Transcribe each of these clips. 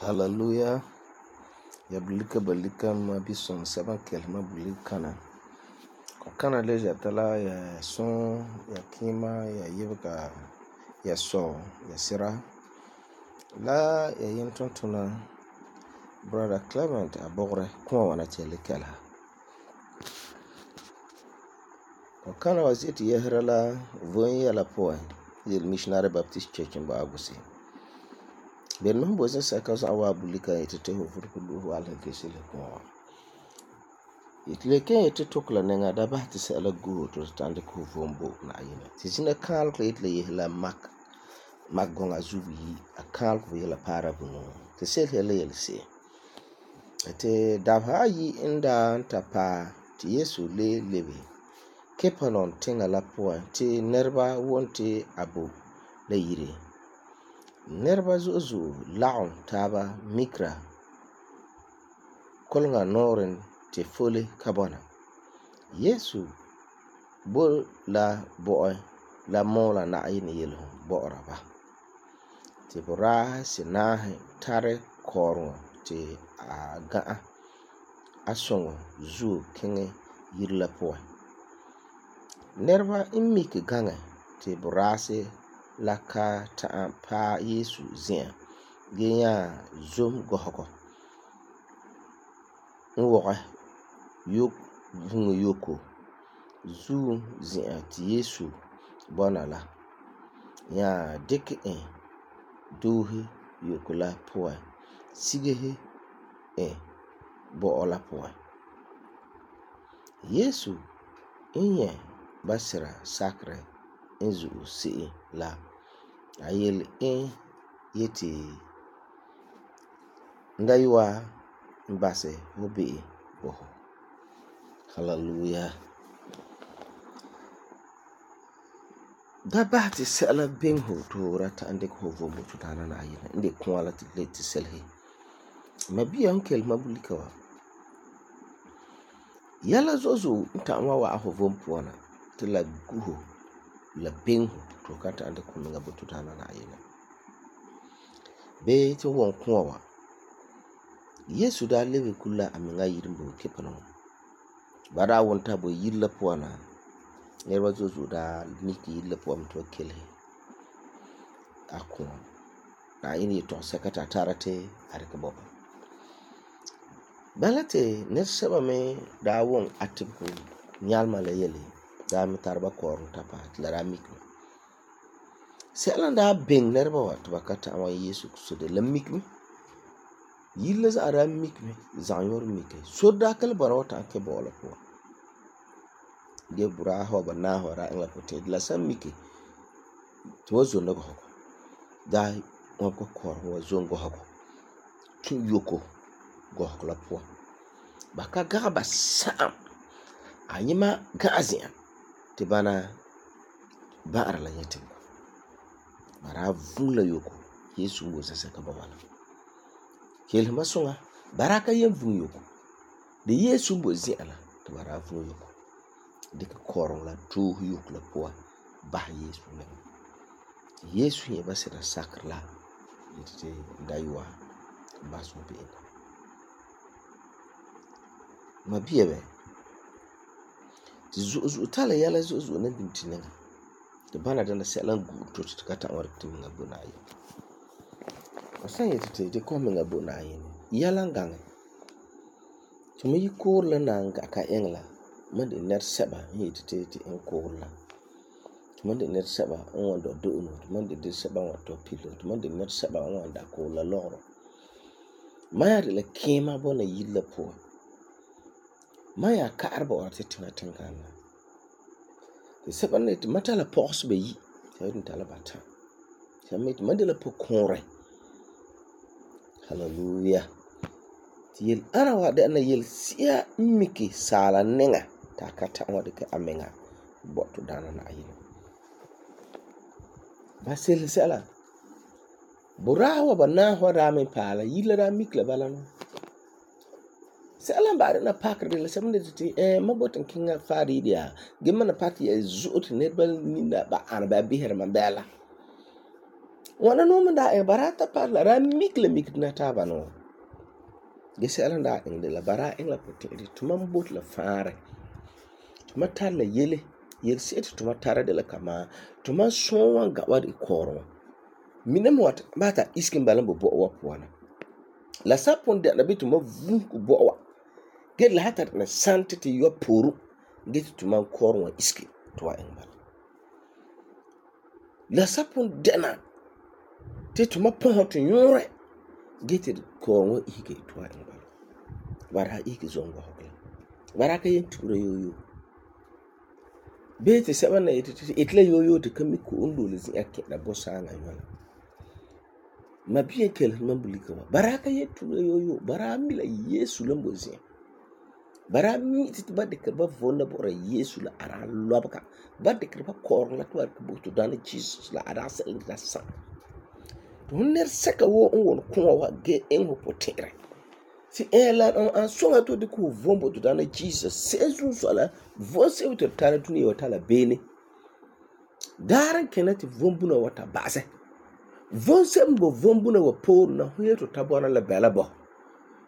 Hallelujah. Ya bulika balika ma bison seven kelma bulikana. Kana leja tala ya son ya kima ya yibga ya so ya sira. La ya yintontona Brother Clement abogre kuma wana tele kala. Kana wasiti yehra la vonya la poe the Missionary Baptist Church in Bagusi. Ben no bosa saka sa wa bulika etete ho furkulu wala kesile ko. Itleke ete tokla nenga da ba ti sala go to stand ko vombo na yina. Tisina kal ko etle yehla mak gonga zubi a kal ko yela para bunu. Te sel hele yelse. Ete dabha yi inda tapa ti Yesu le lebe. Kepanon tenga la poa ti nerba wonte abu le yire. Nerba zuzu laun taba mikra kolnga noren te fole kabona. Yesu bol la boy la mola na ayin yelo bora ba. Te bora sinahe tare korno te gaa asongo zu kenge yirla poa. Nerba imiki gange te borase la ka ta pa Yesu zin genya zum gohoko nwoga yok vungu yoko zu zin ti Yesu bona la ya dik dohi yoko la poa sigehe bo la poa. Yesu inye basira sakre inzu si la ayel yeti ndaywa mbase hobe boho. Hallelujah. Da ba ti sala benho to rata ande ko vomo to tana na ayina inde kwala ti leti selhe. Mabiya onkel mabulika wa. Yala zozo ntamwa wa aho vompuana ti la guho la benho to kata ande ko nga butu tana na ayina. Be ti won kwa Yesu da lebe kula aminga yirimbo kepano. Bara wonta bo yilla puana. Nerwa zozo da miki yilla puam to kele. Akon. Na ini to sekata tarate arika boba. Balate neseba me da won atiku nyalma le yele. Da mi tarba korun tapa tlara mikno. Selan da beng nerba wa tubakata awa Yesu kusude la mikme. Yilla za ara mikme zanyor mike. So da kal barota ke bola po. Ge bura ho ba na ho ra ngla pote la sam mike. To zo ndo ko. Da won ko kor ho zo ngo hako. Tu yoko go la po. Baka ga ba sam. Anyima gazia te bana ba ara la yetim. Bara vula yoko Yesu ngo sasa ka bawala. Kel masonga baraka yem vun yoko. De Yesu mbo ziala to bara vun yoko. De ka koron la tu yoko la poa ba Yesu ne. Yesu ye basira sakla yete daywa baso be. Mabiye be. Zu tala yala zu na bintinga. De bana dana selan gu to kata war timinga bunayi. San yeti te de kom menga bo na yin. Yalan gange. Tuma yi koor la nan ga ka engla. Man de ner seba yeti te en koor la. Tuma de ner seba on wan do no. Tuma de seba wan to pilo. Tuma de ner seba on wan da koor la logro. Maya de la kema bo na yilla po. Maya ka arba wa te tina tinkana. De seba ne te mata la pos be yi. Sa yeti tala bata. Sa met man de la po konre. Hallelujah. Ti yel ana wa de na yel sia miki sala nenga ta kata wa de ka amenga botu dana na ayin. Basil sala. Burawa ba na wa rame pala yila ra mikla balano. Sala ba na pakre de la samne ti mabotan kinga fari dia. Gemma na pati ya zut nerbal ninda ba ana ba biher man bela. Wana no man da barata parla ra mikla mikna ta ba no. Gese ala da de la bara engla pote de tuma bot la fare. Tuma tar la yele yel set tuma tara de la kama tuma sonwan ga wadi koro. Minam wat bata iskin balan bo wa puana. La sapon de na bituma vun ku bo wa. Get la hata na santity yo poru get tuma koro wa iski to wa engba. La sapon de na te tuma pon to yore get koro wa ike to wa engba. Bara ike zongo hokla. Bara ka yen tura yoyo. Bete seba na itla yoyo te kami ko undo le zin ake na bosa nga yola. Mabiye kel mambulika wa. Bara ka yen tura yoyo. Bara mila Yesu lambo zin. Bara mi titi ba de kerba vonda bora Yesu la ara lobaka. Ba de kerba korla tuwa kubutu dana Jesus la ara sa ingita sa. Tuner seka wo ungon kuwa wa ge engo potere. Si ela an songa to de ku vombo to dana Jesus sezu sola vose to tana tuni wata la bene daran kenati vombu na wata base vonse mbo vombu na wapo na huye to tabona la bela bo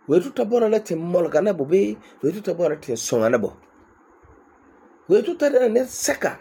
we to tabona la tin molga na bobe we to tabona tin songa na bo we to tada ne seka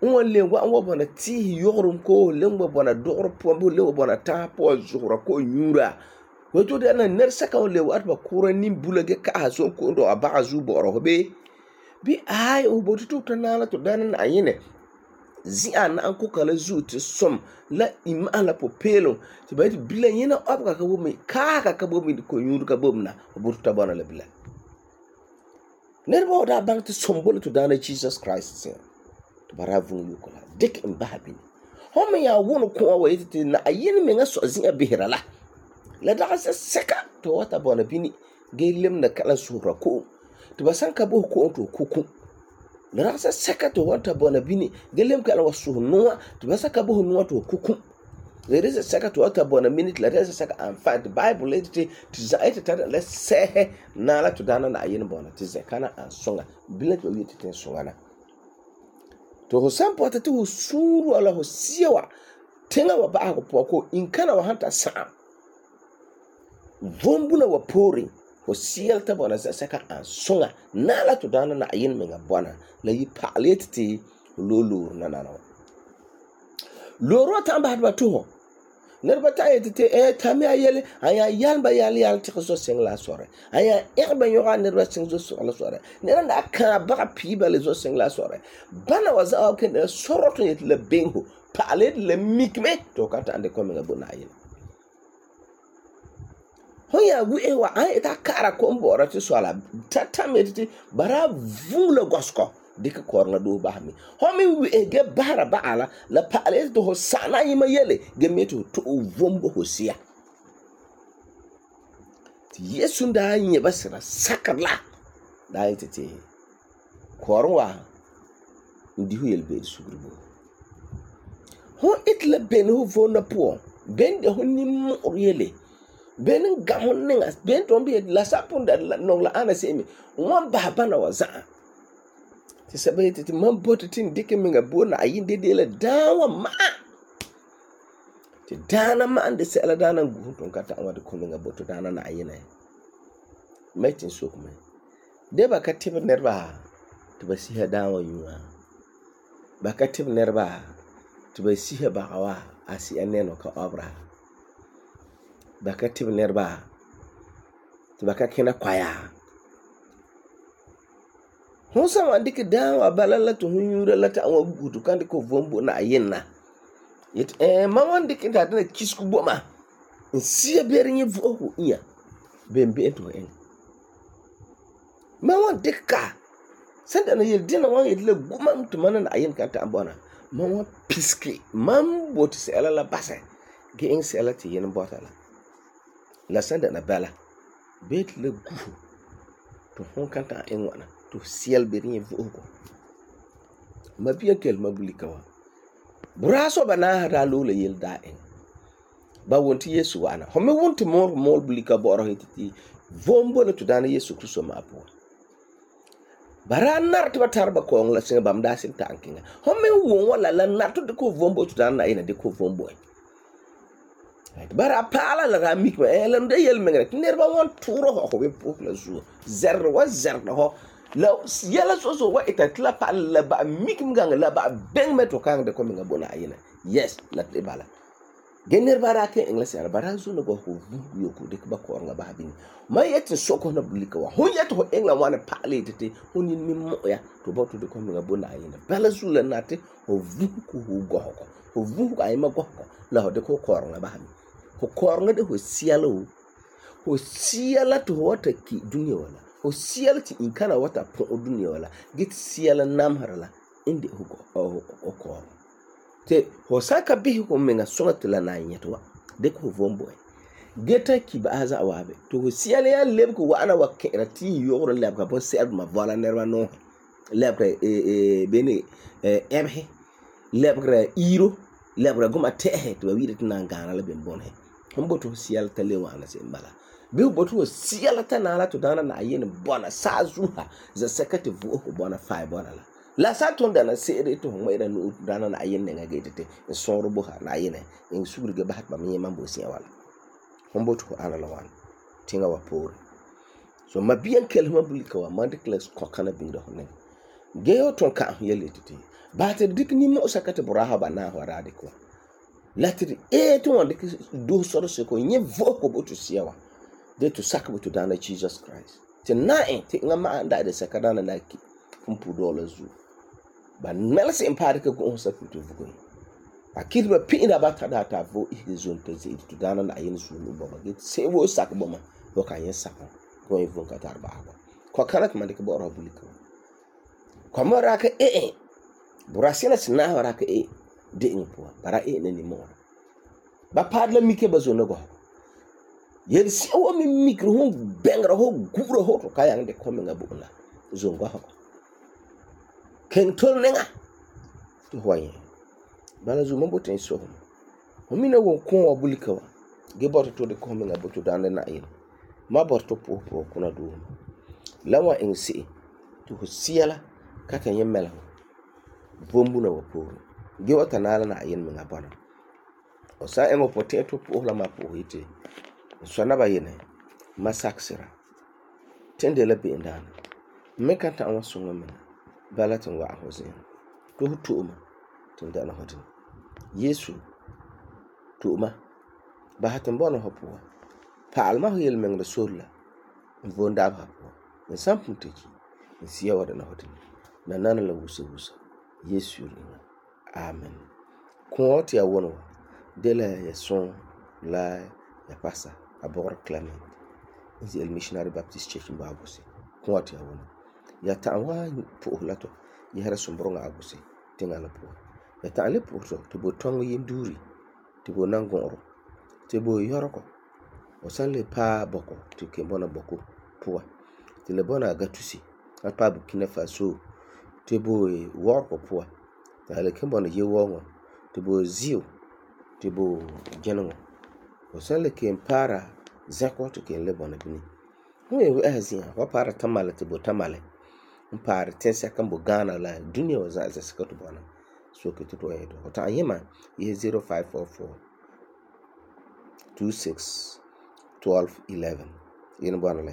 on le wa on bona ti yorum ko le mbo bona dor pombo le bona ta po zura ko nyura wato da nan ner saka on lewa atba kura nim bulage ka haso ko ndo aba azu boro be bi ai o botu to tanala to danan ayene zi an an ko kala zuti som la imala popelo ti bayti bila yena abga ka bo mi ka bo mi ko nyuru ka bomna botu tabana la bila ner bo da bank to sombolo to dana Jesus Christ sin to baravu yukola dik imbabi homme ya wono ko wa yiti na ayene me nga so zi abihira la daga seka to wata bona bini gelem na kala sura ko to basan ka bo ko to kuku la daga seka to wata bona bini gelem kala wasu nuwa to basan ka bo nuwa to kuku le rese seka to wata bona minute la rese seka and find the Bible let to zaita ta la sehe na la to dana na ayin bona to zekana an songa bila to yiti ten songa na to ho sampo ta to suru ala ho siwa tenga wa ba ko ko in kana wa hanta sa vombuna wa pori ho sielta bona saka an songa nala to dana na ayin menga bona la yi paleti lolo na loro tamba hadba to nerba tayete tami ayele aya yalba yal ti so sengla sore aya erba yoga nerba sengzo so la sore neranda ka ba piba le zo sengla sore bana waza ken soroto yet le bengo palet le mikme to kata ande ko menga bona ayin hoya wi wa ai ta kara ko mbora ti swala tata mediti bara vula gosko dika korna do bahmi homi wi ge bara baala la pale to sana yima yele ge meto to vombo hosia ti Yesu nda nye basira sakarla da yitete korwa ndi hu yelbe sugrubo ho itla ben hu vona po ben de honni mo yele benin gamon ninga ben tombi la sapunda no la ana semi won baba na waza ti sabete ti man botin dike minga bona ayin de la dawa ma ti dana ma ande se ala dana guton kata amade ko minga boto dana na ayina metin sokme de ba katib nerba to ba siha dawa yuwa ba katib nerba to ba siha bagawa asi aneno ka obra ba ka tibɛ nɛreba tɩ ba ka kẽna koya. Hon san wan dɩkɛ daan wa bala la tɩ hon yũura la ta'am wa guhu tɩ kan dɩkɛ ho vom bo Na'ayinɛ na. Yetɩ mam wan dɩkɛ ta dɩna kisego bo ma n sia beere nyɛ vo'osego inya be'em tɩ ho iŋɛ. Mam wan dɩkɛ ka sẽn dɛna yele dẽna wan yetɩ la gu mam tɩ mam ne Na'ayinɛ kan ta'am bɔna. Mam wan piseke mam boti sɛla la basɛ gee iŋɛ sɛla tɩ yenɛ bɔta la. La sẽn dɛna bala bee tɩ la guhu tɩ hon kan ta'am iŋɛ ŋwana tɩ ho siɛl beere nyɛ vo'osego. Mabia kelema bulika wa. Buraa so ba naaha daa loe la yele daa iŋɛ. Ba won tɩ Yesu wa'ana. Ho me won tɩ mool bulika bɔ'ɔra yetɩ tɩ vom bo la tɩ Daana Yesu Kristo ma'a puan. Ba daa nar tɩ ba tara ba kɔɔŋɔ la sɩŋa bam daa sɩn ta'am kɩŋa. Ho me won wa la nar tɩ dɩkɛ ho vom bo tɩ Daana Na'ayinɛ dɩkɛ ho vom bo. Bara paala la daa mikma la da yelmengre tɩ nɛreba wan tʋʋra ho be pʋʋs la zuo. Zɛrre wa zɛrda ho la yɛla so wa ita tɩ la paala la ba mikim gaŋa la ba bɛŋ me tɩ kaŋ de ko menga bo Na'ayinɛ. Yes, la tɩ bala. Ge nɛreba daa ka iŋla sɛra ba daa zona go ho vugu yoko dɩkɛ ba kɔɔreŋa ba bini. Ma yetɩ soko na bulika wa. Hon yetɩ ho iŋla wan paala yetɩ tɩ hon yin min mo ya to ba to de ko menga bo Na'ayinɛ. Bala zu la nati ho vugu ho gohoko. Ho vugu ayema gohoko la ho dɩkɛ ho kɔɔreŋa ba bini. Ho kɔɔreŋa de ho siɛla o. Ho siɛla tɩ ho wata ki dunia wala. Ho siɛla tɩ inkana wata põ'o dunia wala. Ge tɩ siɛla namsera la inde ho kɔɔreŋa. Te ho saka bihi ho menga sõŋa tɩ la na nyɛtɩ wa dɩkɛ ho vom bo. Ge ta ki ba aza waabe. To ho siɛla ya lebg wa'ana wa kẽera tɩ yogro lebga bon sɛdma vola nɛreba no. Lebgra bene ɛbhe lebgra iro lebgra goma tɛhe tɩ ba wi'ira tɩ nan gaana la ben bonhe. Hon boto siɛla ta le wa'ana se bala. Bi boto siɛla ta na la to Daana Na'ayinɛ bona saazuha za saka tɩ vo'osego bona fai bona la. La sa ton dana se'ere tɩ ho ŋmɛ'ɛra nu Daana Na'ayinɛ nɛŋa ge tɩ n sõor bo ha Na'ayinɛ n sugurige basɛ tɩ ba me yẽma bo sɩa wala. Hon boto ho ana la wan tɩŋa wa poore. So mabiyan kelema bulika wa man dɩkɛ la kɔkana biŋda ho nɛŋa. Ge yo ton ka yele tɩ ba tɩ dɩkɛ nimmo saka tɩ buraa ba naa ho ra dɩkɛ wa. La tɩ tɩ wan dɩkɛ do sɔrɔ seko nyɛ vo'osego bo tɩ sia wa. De tɩ saka bo tɩ Daana Jesus Christ. Tɩ na'e tɩ ŋa ma'a da de saka Daana na ki fum pu dɔla zu. Ba mɛlse n paadɩ ka go'o sa tɩ vugu. A kɩt ba pi'ira ba ta da ta vo ihde zon tɩ ze'ed tɩ Daana Na'ayinɛ sunu bo ba. Ge se wo sak bo ma bo ka yẽ sakon. Ko yẽ von ka tar ba ba. Ko kana tɩ man dɩkɛ bɔ'ɔra bulika. Ko ma ra ka burasina sina ra ka de ing puan. Bara ne ni mo. Ba paad la mike ba zona go. Yel si o mi mikro ho bengra ho gura ho to kaya de ko menga bu la zongo ha. Ken tol nenga to hoye. Bala zu mo boten so. Ho mina wo ko wa bulika wa. Ge boto to de ko menga boto Daana Na'ayinɛ. Ma boto po kuna do. Lawa ing si to ho siala ka kan yemela. Bombu na wa poro. Ge wata nala Na'ayinɛ menga bana. O sa emo potato po la ma po hite. So na ba yene masaksira. Tende la bi ndana. Me kan ta wa sunga men. Bala tan wa hosin. To tuma tunda na hotin. Yesu tuma ba hatan bona hopo. Pa alma yel men da sorla. Vonda ba po. En sampun teji. En siya wada na hotin. Na nana la wusa. Yesu ringa. Amen. Ko ti ya wono de la ya son la ya pasa abor Clement is el Missionary Baptist Church in Babusi. Ko ti ya wono ya ta wa po lato ya hara sombronga abusi tinga la po ya ta le po to bo tongo yinduri to bo nangoro to bo yoroko o san le pa boko to ke bona boko po to le bona gatusi a pa Burkina Faso to bo worko po ta le ke bona ye wongo to bo zio to bo genongo o san le ke para zako to ke le bona bini ho e azia wa para tamale to bo tamale para tensa kan bo Ghana la dunia wa za sakato bona so ke to edo ta yema ye 0544 26 12 11 yin bona la